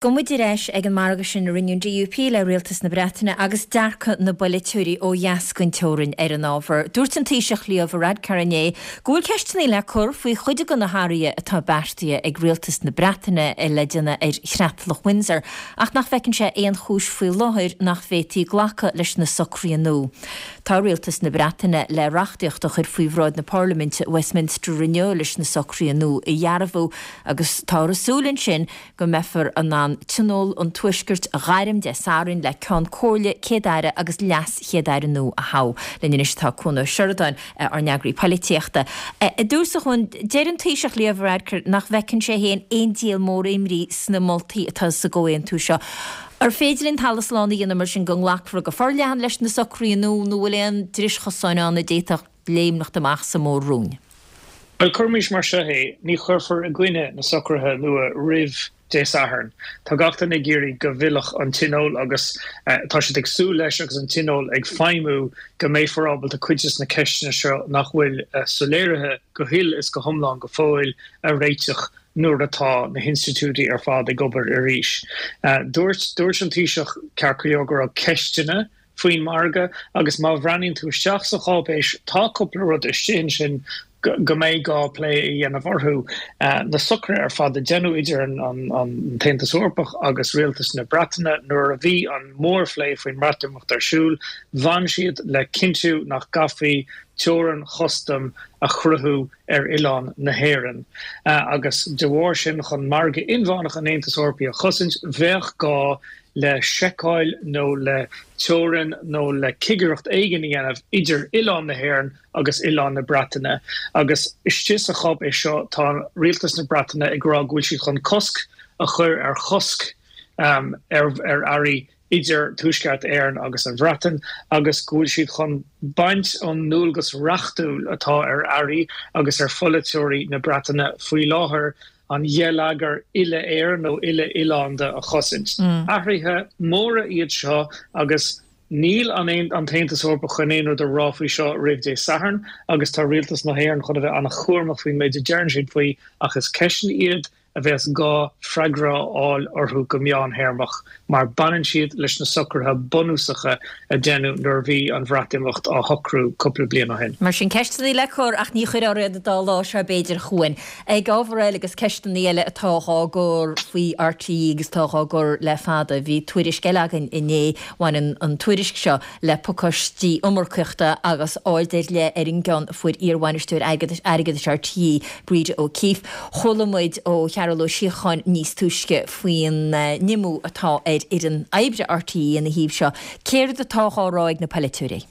Gabhfaidh muid ar ais ag an margadh sin a rinne an DUP le Rialtas na Breataine agus dearcadh na bpolaiteoirí ó dheas den teorainn ar an ábhar. Dúirt an Taoiseach Leo Varadkar inné go bhfuil ceisteanna le cur faoi chuid de na hathruithe atá beartaithe ag Rialtas na Breataine le déanamh ar Chreatlach Windsor ach nach bhfeiceann sé aon chúis faoi láthair nach bhféadfaí glacadh leis na socruithe nua. Tá Rialtas na Breataine le reachtaíocht a chur faoi bhráid na Parlaiminte i Westminster inniu leis na socruithe nua a dhearbhu agus táthar ag súil ansin go mbeifear in ann Tionól an Tuaiscirt a ghairm Dé Sathairn le Ceann Comhairle, Céad-Aire agus LeasChéad-Aire nua a thoghadh. Linn anois tá Cuan Ó Seireadáin, ár n-eagraí poilitíochta. I dtús, a Chuain, deir an Taoiseach Leo Varadkar nach bhfeiceann sé féin aon díol mór imní sna moltaí atá sa gcomhaontú seo. Ar féidir linn talamh slán a dhéanamh mar sin go nglacfar go forleathan leis na socruithe nua nó bhfuil aon dris chosáin ann a d'fhéadfadh léimneacht amach sa Mhór-Roinn? Bhuel, cuirimis mar seo é, ní chuirfear i gcoinne na socruithe nua roimh Dé Sathairn. Tá gach duine ag iarraidh go bhfillfeadh an Tionól agus tá siad ag súil leis agus an Tionól ag feidhmiú go mbeifear ábalta cuid des na ceisteanna seo nach bhfuil soiléirithe go huile is go hiomlán go fóill a réiteach nuair atá na hinstitiúidí ar fad ag obair arís. Dúirt dúirt an Taoiseach ceart go leor go raibh ceisteanna faoin margadh agus má bhreathnaíonn tú isteach sa cháipéis tá cúpla rud istigh ansin go mbeidh gá plé a dhéanamh orthu. Na socruithe ar fad a deineadh idir an tAontas Eorpach agus Rialtas na Breataine nuair a bhí an mórphlé faoin mBreatimeacht ar siúl, bhain siad le cinntiú nach gcaithfí teorainn chustaim a chruthú ar oileán na hÉireann agus de bharr sin chun margadh inmheánach an Aontais Eorpaigh a chosaint bheadh gá le seiceáil nó le teorainn nó le cigireacht éigin a dhéanamh idir oileán na hÉireann agus oileán na Breataine. Agus istigh sa cháipéis seo tá Rialtas na Breataine ag rá go bhfuil siad chun cosc a chur ar chosc ar earraí idir Tuaisceart Éireann agus an Bhreatain agus go bhfuil siad chun baint ón ndualgas reachtúil atá ar airí agus ar pholaiteoirí na Breataine faoi láthair an geilleagar uile-Éireann nó uile-oileánda a chosaint. Athruithe móra iad seo agus níl an an tAontas Eorpach chun aon rud a rá faoi seo roimh Dé Sathairn agus tá Rialtas na hÉireann chun a bheith an-chúramach faoin méid a deireann siad faoi ach is ceisteanna iad a bheas gá freagra a fháil orthu go meánthéarmach mar baineann siad leis na socruithe bunúsacha a deineadh nuair a bhí an Bhreatimeacht á shocrú cúpla bliain ó shin. Mar sin, ceisteanna le cur ach ní chuirfear iad an dá lá seo b'fhéidir, a Chuain. Ag ábhar eile agus ceisteanna eile atá dhá gcur faoi RTÉ agus atá dhá gcur le fada, bhí tuairisc eile againn inné, bhain an tuairisc seo le pacáistí iomarcaíochta agus aird ar leith ar an gceann a fuair iar-bhainisteoir airgeadais RTÉ, Breda O'Keeffe. Chuala muid ó Chearbhall Ó Síocháin níos túisce faoin nimhiú atá ar fhoireann oibre RTÉ ina thaobh seo. Céard atá dhá rá ag na polaiteoirí?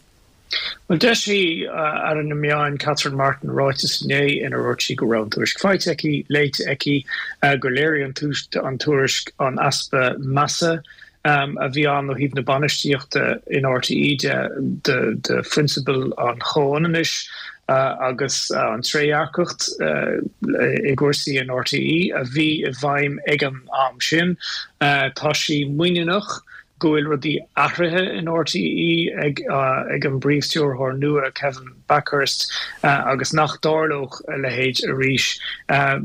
Bhuel, d'eisigh Aire na Meán Catherine Martin ráiteas inné inar dhúirt sí go raibh an tuairisc faighte aici, léite aici, gur léirigh an tuairisc an easpa measa a bhí ann ó thaobh na bainistíochta in RTÉ de de phrionsabail an chomhionannais agus an trédhearcacht i gcúrsaí in RTÉ a bhí i bhfeidhm ag an am sin. Tá sí muiníneach go bhfuil rudaí athraithe in RTÉ ag ag an bPríomh-Stiúrthóir nua Kevin Bakhurst agus nach dtarlódh a leithéid arís.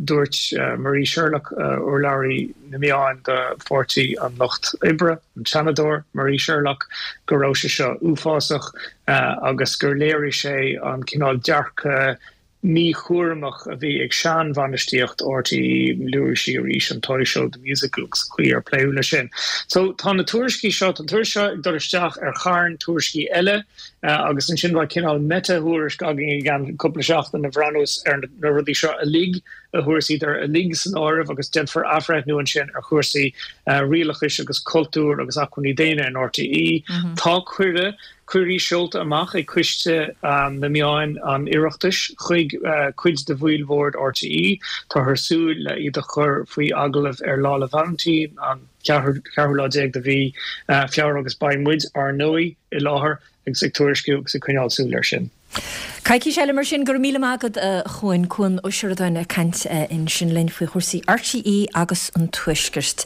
Dúirt Marie Sherlock, urlabhraí na meáin do Pháirtí an Lucht Oibre, an Seanadóir Marie Sherlock, go raibh sé seo uafásach agus gur léirigh sé an cineál dearcadh míchúramach a bhí ag seanbhainistíocht RTÉ, luaigh sí arís an Toy Show, The Musical agus an chaoi ar pléadh leis sin. So tá na tuairiscí seo, tá an tuairisc seo ag dul isteach ar charn tuairiscí eile agus ansin beidh cineál meta-thuairisc againn i gceann cúpla seachtain a bhreathnós ar na rudaí seo uilig a thabharfas iad uilig san áireamh agus déanfar athbhreithniú ansin ar chúrsaí rialachais agus cultúir agus acmhainní daonna in RTÉ. Tá cuireadh, cuirí seolta amach ag Coiste na Meáin an Oireachtais chuig cuid de bhaill bhoird RTÉ. Táthar ag súil le iad a chur faoi agallamh ar Lá 'le Vailintín, an ceathrú lá déag de mhí Feabhra agus beidh muid, ar ndóigh, i láthair agus ag tuairisciú agus ag coinneáil súil air sin. Coicís eile mar sin, go raibh míle maith agat a Chuain, Cuan Ó Seireadáin ag caint ansin linn faoi chúrsaí RTÉ agus an Tuaiscirt.